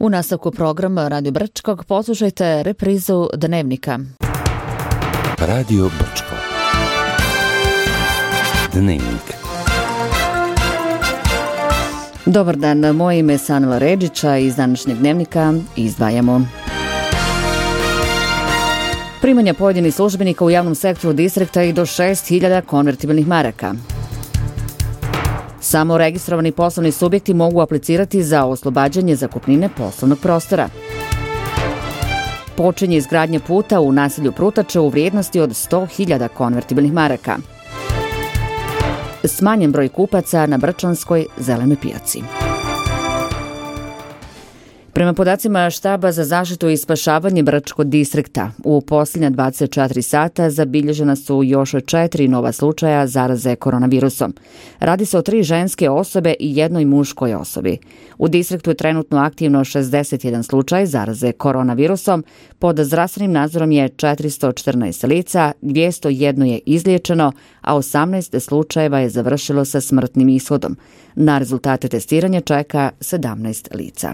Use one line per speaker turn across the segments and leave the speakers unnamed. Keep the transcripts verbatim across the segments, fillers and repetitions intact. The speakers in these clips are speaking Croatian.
U nastavku programa Radio Brčkog poslušajte reprizu Dnevnika.
Radio Brčko. Dnevnik.
Dobar dan, moje ime je Sanela Redžića iz današnjeg Dnevnika izdvajamo. Primanja pojedinih službenika u javnom sektoru distrikta i do šest hiljada konvertibilnih maraka. Samo registrovani poslovni subjekti mogu aplicirati za oslobađanje zakupnine poslovnog prostora. Počinje izgradnja puta u naselju Prutače u vrijednosti od sto hiljada konvertibilnih maraka. Smanjen broj kupaca na Brčanskoj zelenoj pijaci. Prema podacima Štaba za zaštitu i spašavanje Brčkog distrikta, u posljednja dvadeset četiri sata zabilježena su još četiri nova slučaja zaraze koronavirusom. Radi se o tri ženske osobe i jednoj muškoj osobi. U distriktu je trenutno aktivno šezdeset jedan slučaj zaraze koronavirusom, pod zdravstvenim nadzorom je četiristo četrnaest lica, dvjesto jedan je izliječeno, a osamnaest slučajeva je završilo sa smrtnim ishodom. Na rezultate testiranja čeka sedamnaest lica.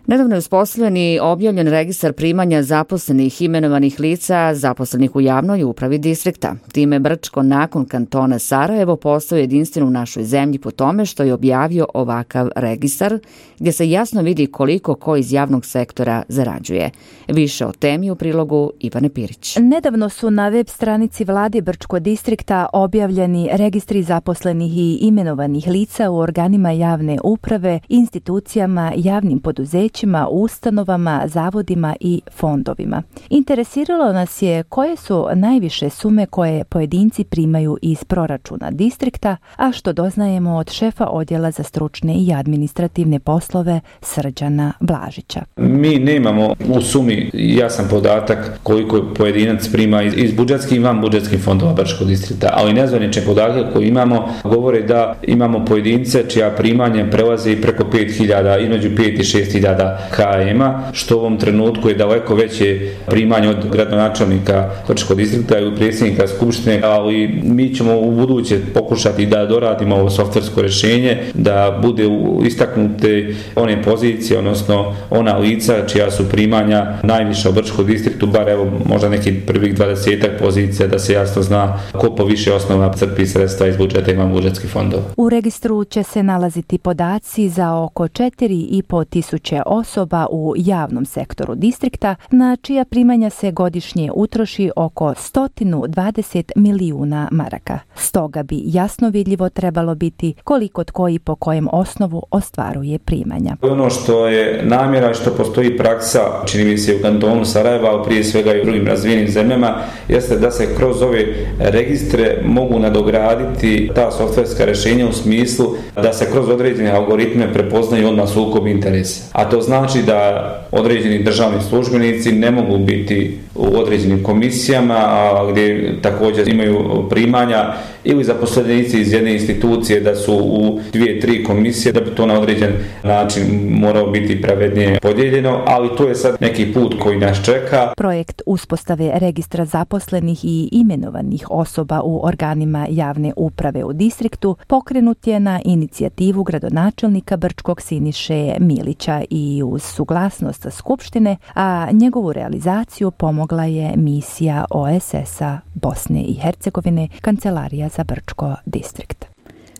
Nedavno je uspostavljen i objavljen registar primanja zaposlenih imenovanih lica zaposlenih u javnoj upravi distrikta. Time Brčko nakon kantona Sarajevo postao jedinstven u našoj zemlji po tome što je objavio ovakav registar gdje se jasno vidi koliko ko iz javnog sektora zarađuje. Više o temi u prilogu Ivane Pirić.
Nedavno su na web stranici vlade Brčko distrikta objavljeni registri zaposlenih i imenovanih lica u organima javne uprave, institucijama, javnim poduzećima, ustanovama, zavodima i fondovima. Interesiralo nas je koje su najviše sume koje pojedinci primaju iz proračuna distrikta, a što doznajemo od šefa odjela za stručne i administrativne poslove Srđana Blažića.
Mi nemamo u sumi jasan podatak koliko pojedinac prima iz, iz budžetskih i van budžetskih fondova Brčkog distrikta, ali nezvanične podatke koje imamo govore da imamo pojedince čija primanja prelaze i preko pet hiljada, između pet i šest hiljada K M-a, što u ovom trenutku je daleko veće primanje od gradonačelnika Brčkog distrikta i predsjednika skupštine, ali mi ćemo u buduće pokušati da doradimo ovo softversko rješenje, da bude istaknute one pozicije, odnosno ona lica čija su primanja najviša u Brčkom distriktu, bar evo možda nekih prvih dvadesetak pozicija, da se jasno zna ko po više osnova crpi sredstva iz budžeta i van budžetskih fondova.
U registru će se nalaziti podaci za oko četiri i po tisuće osoba u javnom sektoru distrikta, na čija primanja se godišnje utroši oko sto dvadeset milijuna maraka. Stoga bi jasno vidljivo trebalo biti koliko tko i po kojem osnovu ostvaruje primanja.
Ono što je namjera, što postoji praksa, čini mi se u kantonu Sarajeva, ali prije svega i u drugim razvijenim zemljama, jeste da se kroz ove registre mogu nadograditi ta softverska rješenja u smislu da se kroz određene algoritme prepoznaju odmah sukob interesa. A to znači da određeni državni službenici ne mogu biti u određenim komisijama, a gdje također imaju primanja, ili zaposlenici iz jedne institucije da su u dvije, tri komisije, da bi to na određen način morao biti pravednije podijeljeno, ali to je sad neki put koji nas čeka.
Projekt uspostave registra zaposlenih i imenovanih osoba u organima javne uprave u distriktu pokrenut je na inicijativu gradonačelnika Brčkog Siniše Milića i uz suglasnost Skupštine, a njegovu realizaciju pomogla je misija O S S-a Bosne i Hercegovine, Kancelarija za Brčko distrikt.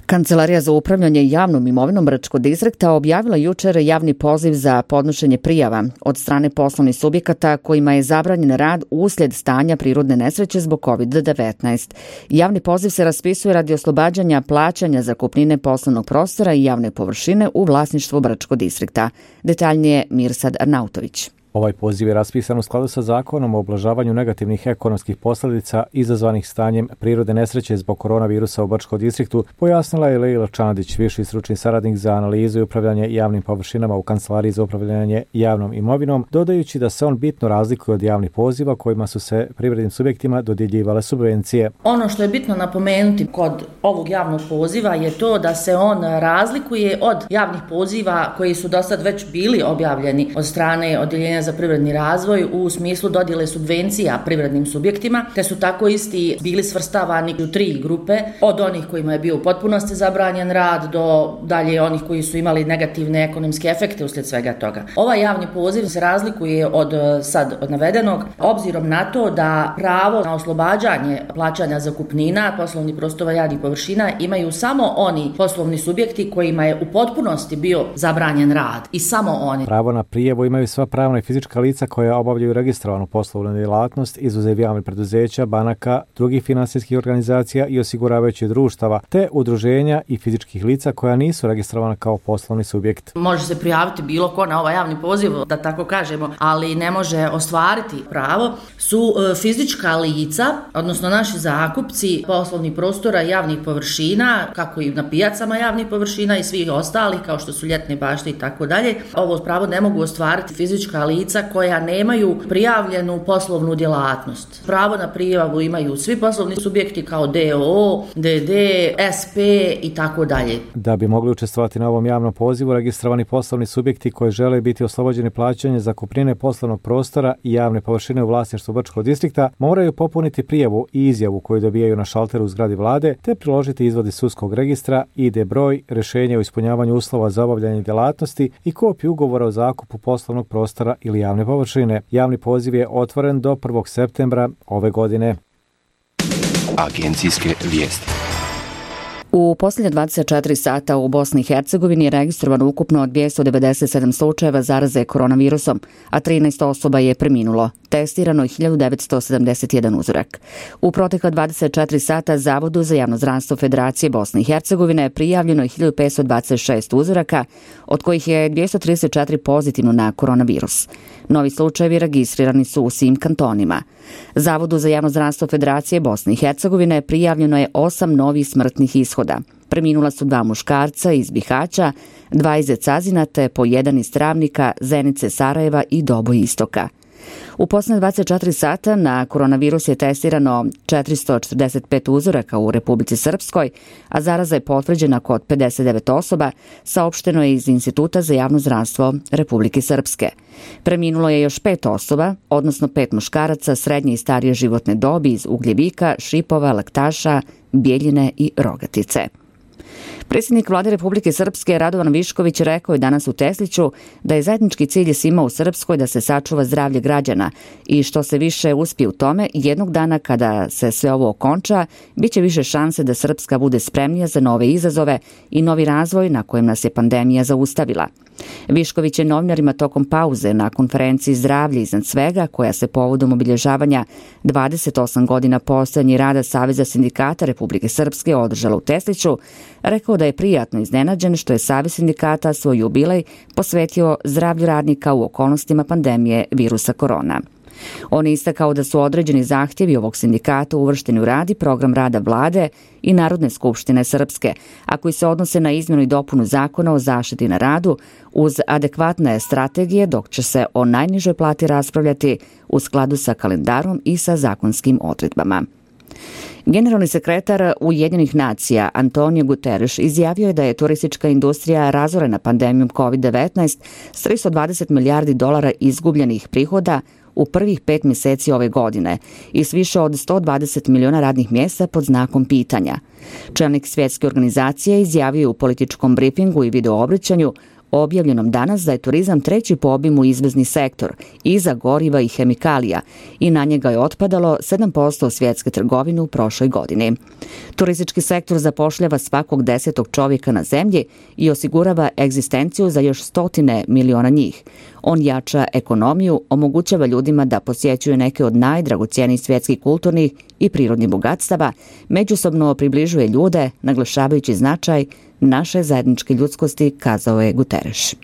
Kancelarija za upravljanje javnom imovinom Brčkog distrikta objavila jučer javni poziv za podnošenje prijava od strane poslovnih subjekata kojima je zabranjen rad uslijed stanja prirodne nesreće zbog kovid devetnaest. Javni poziv se raspisuje radi oslobađanja plaćanja zakupnine poslovnog prostora i javne površine u vlasništvu Brčkog distrikta. Detaljnije Mirsad Arnautović.
Ovaj poziv je raspisan u skladu sa zakonom o ublažavanju negativnih ekonomskih posljedica izazvanih stanjem prirodne nesreće zbog koronavirusa u Brčkom distriktu, pojasnila je Leila Čandić, viši stručni saradnik za analizu i upravljanje javnim površinama u Kancelariji za upravljanje javnom imovinom, dodajući da se on bitno razlikuje od javnih poziva kojima su se privrednim subjektima dodjeljivale subvencije.
Ono što je bitno napomenuti kod ovog javnog poziva je to da se on razlikuje od javnih poziva koji su dosad već bili objavljeni od strane Odjeljenja za privredni razvoj u smislu dodjele subvencija privrednim subjektima, te su tako isti bili svrstavani u tri grupe, od onih kojima je bio u potpunosti zabranjen rad do dalje onih koji su imali negativne ekonomske efekte uslijed svega toga. Ovaj javni poziv se razlikuje od sad od navedenog obzirom na to da pravo na oslobađanje plaćanja zakupnina poslovnih prostora javnih površina imaju samo oni poslovni subjekti kojima je u potpunosti bio zabranjen rad i samo oni.
Pravo na prijavu imaju sva pravna i fizička lica koja obavljaju registrovanu poslovnu djelatnost, izuzev javnih preduzeća, banaka, drugih finansijskih organizacija i osiguravajućih društava, te udruženja i fizičkih lica koja nisu registrovana kao poslovni subjekt.
Može se prijaviti bilo ko na ovaj javni poziv, da tako kažemo, ali ne može ostvariti pravo, su fizička lica, odnosno naši zakupci poslovnih prostora i javnih površina, kako i na pijacama javnih površina i svih ostalih, kao što su ljetne bašte i tako dalje. Ovo pravo ne mogu ostvariti fizička lica koja nemaju prijavljenu poslovnu djelatnost. Pravo na prijavu imaju svi poslovni subjekti kao D O O, D D, S P i tako dalje.
Da bi mogli učestvovati na ovom javnom pozivu, registrovani poslovni subjekti koji žele biti oslobođeni plaćanja zakupnine poslovnog prostora i javne površine u vlasništvu Brčkog distrikta moraju popuniti prijavu i izjavu koju dobijaju na šalteru u zgradi vlade, te priložiti izvod iz sudskog registra, I D broj, rješenje o ispunjavanju uslova za obavljanje djelatnosti i kopiju ugovora o zakupu poslovnog prostora ili javne površine. Javni poziv je otvoren do prvog septembra ove godine.
Agencijske vijesti.
U posljednje dvadeset četiri sata u Bosni i Hercegovini je registrovano ukupno dvjesto devedeset sedam slučajeva zaraze koronavirusom, a trinaest osoba je preminulo. Testirano je hiljadu devetsto sedamdeset jedan uzorak. U protekla dvadeset četiri sata Zavodu za javno zdravstvo Federacije Bosne i Hercegovine prijavljeno je hiljadu petsto dvadeset šest uzoraka, od kojih je dvjesto trideset četiri pozitivno na koronavirus. Novi slučajevi registrirani su u svim kantonima. Zavodu za javno zdravstvo Federacije Bosne i Hercegovine prijavljeno je osam novih smrtnih ishoda. Preminula su dva muškarca iz Bihaća, dva iz Zecazina te po jedan iz Travnika, Zenice, Sarajeva i Doboj Istoka. U posljednje dvadeset četiri sata na koronavirus je testirano četiristo četrdeset pet uzoraka u Republici Srpskoj, a zaraza je potvrđena kod pedeset devet osoba, saopšteno je iz Instituta za javno zdravstvo Republike Srpske. Preminulo je još pet osoba, odnosno pet muškaraca srednje i starije životne dobi iz Ugljevika, Šipova, Laktaša, Bijeljine i Rogatice. Predsjednik Vlade Republike Srpske Radovan Višković rekao je danas u Tesliću da je zajednički cilj svima u Srpskoj da se sačuva zdravlje građana i što se više uspije u tome, jednog dana kada se sve ovo okonča, bit će više šanse da Srpska bude spremnija za nove izazove i novi razvoj na kojem nas je pandemija zaustavila. Višković je novinarima tokom pauze na konferenciji Zdravlje iznad svega, koja se povodom obilježavanja dvadeset osam godina postojanja rada Saveza sindikata Republike Srpske održala u Tesliću, rekao da je prijatno iznenađen što je Savez sindikata svoj jubilej posvetio zdravlju radnika u okolnostima pandemije virusa korona. On je istakao da su određeni zahtjevi ovog sindikata uvršteni u rad i program rada vlade i Narodne skupštine Srpske, a koji se odnose na izmjenu i dopunu zakona o zaštiti na radu uz adekvatne strategije, dok će se o najnižoj plati raspravljati u skladu sa kalendarom i sa zakonskim odredbama. Generalni sekretar Ujedinjenih nacija Antonio Guterres izjavio je da je turistička industrija razorena pandemijom kovid devetnaest s tristo dvadeset milijardi dolara izgubljenih prihoda u prvih pet mjeseci ove godine i s više od sto dvadeset miliona radnih mjesta pod znakom pitanja. Čelnik svjetske organizacije izjavio je u političkom briefingu i videoobraćanju objavljenom danas da je turizam treći po obimu izvozni sektor iza goriva i hemikalija i na njega je otpadalo sedam posto svjetske trgovine u prošloj godini. Turistički sektor zapošljava svakog desetog čovjeka na zemlji i osigurava egzistenciju za još stotine miliona njih. On jača ekonomiju, omogućava ljudima da posjećuju neke od najdragocjenijih svjetskih kulturnih i prirodnih bogatstava, međusobno približuje ljude, naglašavajući značaj naše zajedničke ljudskosti, kazao je Guterres.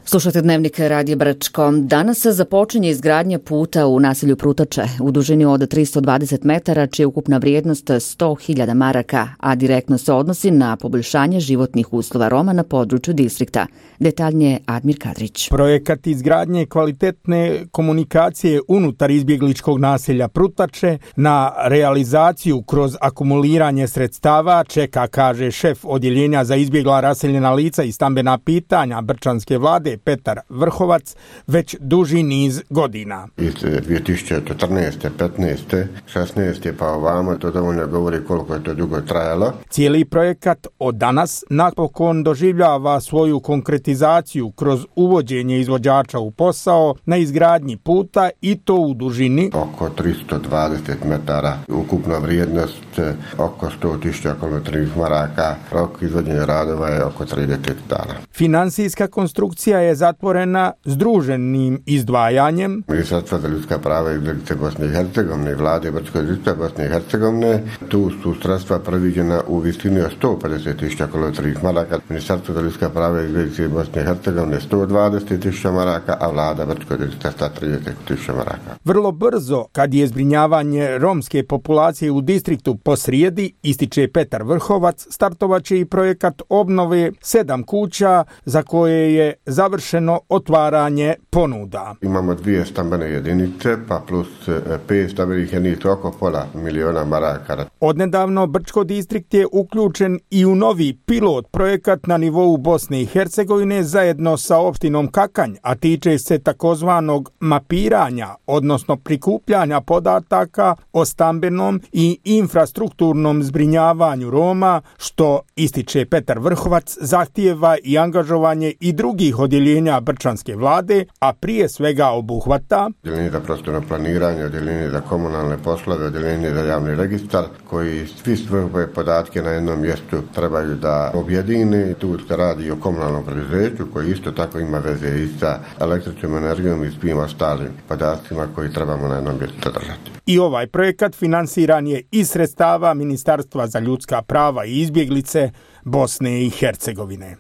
Slušate Dnevnik Radija Brčko. Danas se započinje izgradnja puta u naselju Prutače u dužini od tristo dvadeset metara, čija je ukupna vrijednost sto hiljada maraka, a direktno se odnosi na poboljšanje životnih uslova Roma na području distrikta. Detaljnije Admir Kadrić.
Projekat izgradnje kvalitetne komunikacije unutar izbjegličkog naselja Prutače na realizaciju kroz akumuliranje sredstava čeka, kaže šef odjeljenja za izbjegla raseljena lica i stambena pitanja Brčanske vlade ističe Petar Vrhovac već duži niz godina.
Iz dvije tisuće četrnaeste, petnaeste, šesnaeste pa ovamo, to dovoljno govori koliko je to dugo trajalo.
Cijeli projekat od danas napokon doživljava svoju konkretizaciju kroz uvođenje izvođača u posao na izgradnji puta i to u dužini
oko tristo dvadeset metara, ukupna vrijednost oko sto tisuća kilometrovih maraka, rok izvođenja radova je oko trideset dana.
Financijska konstrukcija je zatvorena združenim izdvajanjem
Ministarstva za ljudska prava i izbjeglice Bosne i Hercegovine i vlade Brdsko-distriktne Bosne i Hercegovine. Tu su sredstva predviđena u visini od sto pedeset tisuća kilometrovih maraka, Ministarstvo za ljudska prava i izbjeglice Bosne i Hercegovine sto dvadeset tisuća maraka, a vlada Brdsko-distriktne sto trideset tisuća maraka.
Vrlo brzo, kad je zbrinjavanje romske populacije u distriktu posrijedi, ističe Petar Vrhovac, startovaće i projekat obnove sedam kuća za koje je završeno otvaranje ponuda.
Imamo dvije stambene jedinice, pa plus pet stambenih jedinica, oko pola miliona maraka.
Odnedavno Brčko distrikt je uključen i u novi pilot projekat na nivou Bosne i Hercegovine zajedno sa opštinom Kakanj, a tiče se takozvanog mapiranja, odnosno prikupljanja podataka o stambenom i infrastrukturnom zbrinjavanju Roma, što, ističe Petar Vrhovac, zahtijeva i angažovanje i drugih odjeljenja brčanske vlade, a prije svega obuhvata
odjeljenje za prostorno planiranje, odjeljenje za komunalne poslove, odjeljenje za javni registar, koji svi svoje podatke na jednom mjestu trebaju da objedine. Tu se radi o komunalnom preduzeću koji isto tako ima veze i sa električnom energijom i svim ostalim podacima koji trebamo na jednom mjestu držati.
I ovaj projekat finansiran je iz sredstava Ministarstva za ljudska prava i izbjeglice Bosne i Hercegovine.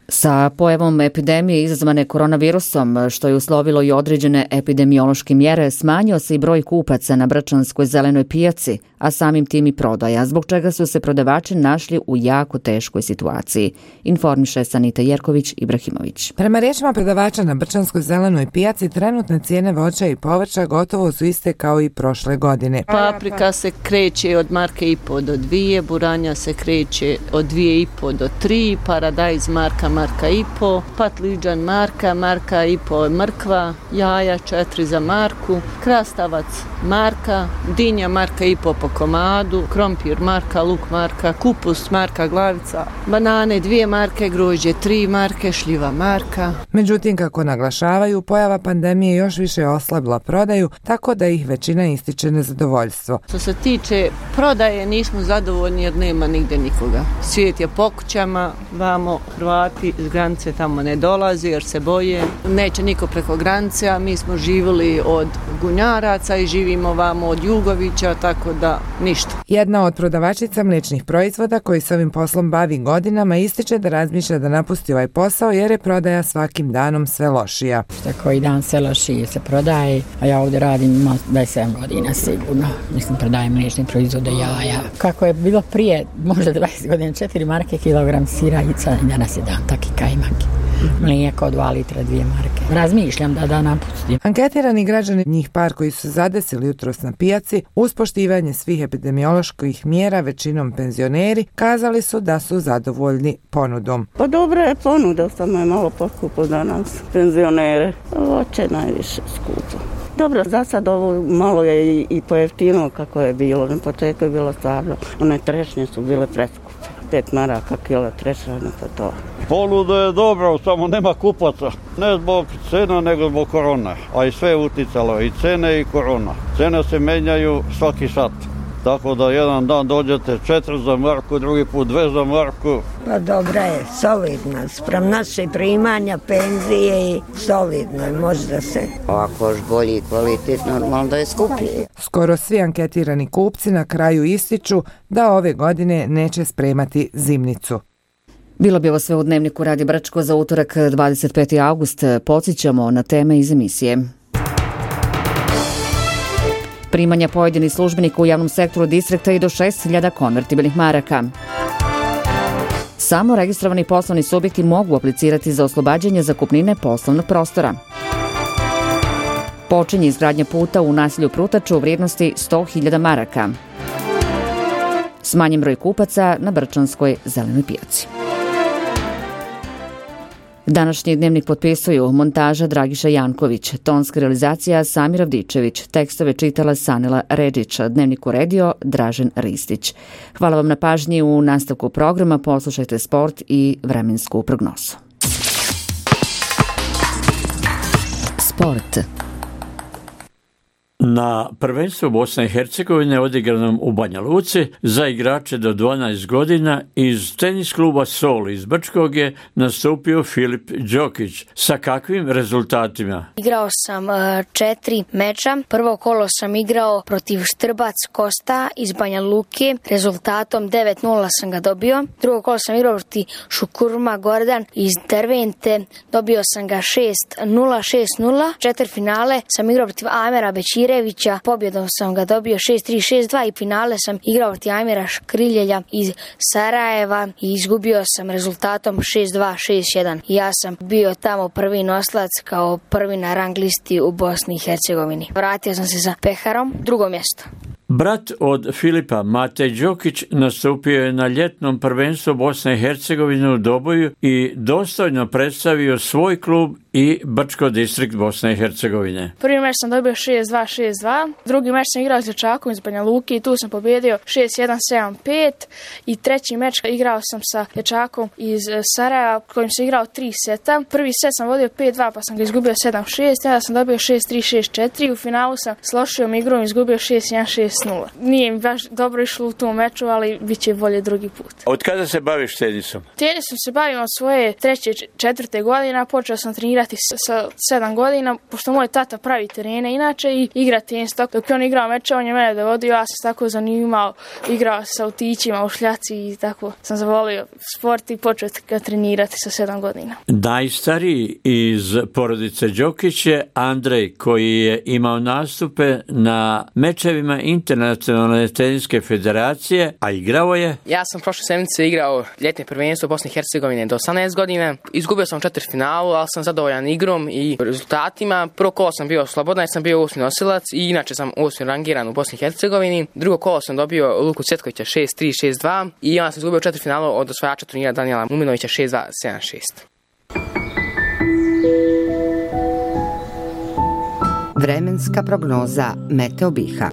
Sa pojavom epidemije izazvane koronavirusom, što je uslovilo i određene epidemiološke mjere, smanjio se i broj kupaca na brčanskoj zelenoj pijaci, a samim tim i prodaja, zbog čega su se prodavači našli u jako teškoj situaciji, informiše Sanita Jerković Ibrahimović.
Prema riječima prodavača na brčanskoj zelenoj pijaci, trenutne cijene voća i povrća gotovo su iste kao i prošle godine.
Paprika se kreće od marke i po do dvije, buranja se kreće od dvije i po do tri, paradajz marka marka i po, patliđan marka, marka i po mrkva, jaja četiri za marku, krastavac marka, dinja marka i po po komadu, krompir marka, luk marka, kupus marka, glavica, banane dvije marke, grožđe tri marke, šljiva marka.
Međutim, kako naglašavaju, pojava pandemije još više oslabila prodaju, tako da ih većina ističe nezadovoljstvo.
Što se tiče prodaje, nismo zadovoljni jer nema nigde nikoga. Svijet je po kućama, vamo Hrvati iz granice tamo ne dolazi jer se boje. Neće niko preko granice, a mi smo živjeli od Gunjaraca i živimo vamo od Jugovića, tako da ništa.
Jedna od prodavačica mliječnih proizvoda koji se ovim poslom bavi godinama ističe da razmišlja da napusti ovaj posao jer je prodaja svakim danom sve lošija.
Koji dan sve lošije se prodaje, a ja ovdje radim ima dvadeset sedam godina sigurno. Mislim, prodajem mliječne proizvode, jaja. Kako je bilo prije, možda dvadeset godina, četiri marke kilogram sira i danas je dan taki kajmaki. Mlijeko dva litra, dvije marke. Razmišljam da da napustim.
Anketirani građani, njih par koji su zadesili jutros na pijaci, uz poštivanje svih epidemioloških mjera, većinom penzioneri, kazali su da su zadovoljni ponudom.
Pa dobra je ponuda, samo je malo poskupo za nas, penzionere. Voće najviše skupo. Dobro, za sad ovo malo je i, i pojeftino kako je bilo. Na početku je bilo stvarno. One trešnje su bile preskupe. Pet maraka kila trešanja, pa to.
Ponuda je dobro, samo nema kupaca. Ne zbog cena, nego zbog korona. A i sve je uticalo, i cene i korona. Cene se menjaju svaki sat. Tako da jedan dan dođete četiri za marku, drugi put dve za marku.
Pa dobra je, solidna. Sprem naše primanja, penzije i solidno je, možda se.
Ovako još bolji kvalitet, normalno da je skuplji.
Skoro svi anketirani kupci na kraju ističu da ove godine neće spremati zimnicu.
Bilo bi ovo sve u Dnevniku Radio Brčko za utorak dvadeset peti august. Podsjećamo na teme iz emisije. Primanja pojedinih službenika u javnom sektoru distrikta i do šest hiljada konvertibilnih maraka. Samo registrovani poslovni subjekti mogu aplicirati za oslobađanje zakupnine poslovnog prostora. Počinje izgradnja puta u naselju Prutaču u vrijednosti sto hiljada maraka. Smanjen broj kupaca na brčanskoj zelenoj pijaci. Današnji dnevnik potpisuju montaža Dragiša Janković, tonska realizacija Samir Avdičević, tekstove čitala Sanela Redžić, dnevnik uredio Dražen Ristić. Hvala vam na pažnji. U nastavku programa poslušajte sport i vremensku prognozu. Sport.
Na prvenstvu Bosne i Hercegovine odigranom u Banja Luci za igrače do dvanaest godina iz tenis kluba Sol iz Brčkog je nastupio Filip Đokić. Sa kakvim rezultatima?
Igrao sam četiri meča. Prvo kolo sam igrao protiv Štrbac Kosta iz Banja Luke. Rezultatom devet nula sam ga dobio. Drugo kolo sam igrao protiv Šukurma Gordan iz Dervente. Dobio sam ga šest nula, šest nula. Četvrtfinale sam igrao protiv Amera Bećire. Pobjedom sam ga dobio šest tri, šest dva i finale sam igrao protiv Amira Škriljelja iz Sarajeva i izgubio sam rezultatom šest dva, šest jedan. Ja sam bio tamo prvi nosilac kao prvi na rang listi u Bosni i Hercegovini. Vratio sam se sa Peharom, drugo mjesto.
Brat od Filipa, Matej Đokić, nastupio je na ljetnom prvenstvu Bosne i Hercegovine u Doboju i dostojno predstavio svoj klub i Brčko distrikt Bosne i Hercegovine.
Prvi meč sam dobio šest dva, šest dva, drugi meč sam igrao s Dječakom iz Banja Luke i tu sam pobjedio šest jedan, sedam pet i treći meč igrao sam sa Dječakom iz Sarajeva kojim sam igrao tri seta. Prvi set sam vodio pet dva pa sam ga izgubio sedam šest, ja sam dobio šest tri, šest četiri, u finalu sam s lošijom igrom izgubio šest jedan, šest nula. Nije mi baš dobro išlo u tom meču, ali bit će bolje drugi put.
Od kada se baviš tenisom?
Tenisom se bavim od svoje treće, četvrte godine, počeo sam trenirati sa sedam godina, pošto moj tata pravi terene inače i igra tenis. Dok je on igrao meče, on je mene dovodio, ja sam tako zanimao, igrao sa autićima u šljaci i tako sam zavolio sport i počeo ga trenirati sa sedam godina.
Najstariji iz porodice Đokić je Andrej, koji je imao nastupe na mečevima Internacionalne teniske federacije, a igrao je...
Ja sam prošle sedmice igrao ljetne prvenstvo Bosne i Hercegovine do osamnaest godina. Izgubio sam četiri finalu, ali sam zadovoljan igrom i rezultatima. Prvo kolo sam bio slobodan jer sam bio osmi nosilac i inače sam osmi rangiran u Bosni i Hercegovini. Drugo kolo sam dobio Luku Cetkovića šest tri, šest dva i onda sam izgubio četiri finalu od osvajača turnira Danijela Muminovića šest dva, sedam šest.
Vremenska prognoza Meteo Biha.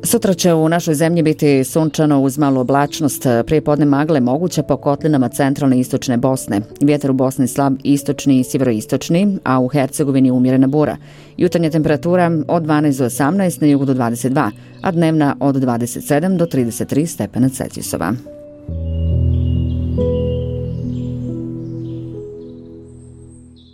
Sutra će u našoj zemlji biti sunčano uz malu oblačnost, prijepodne magle moguće po kotlinama centralne i istočne Bosne. Vjetar u Bosni slab istočni i sjeveroistočni, a u Hercegovini umjerena bura. Jutarnja temperatura od dvanaest do osamnaest, na jugu do dvadeset dva, a dnevna od dvadeset sedam do trideset tri stepena Celzijusova.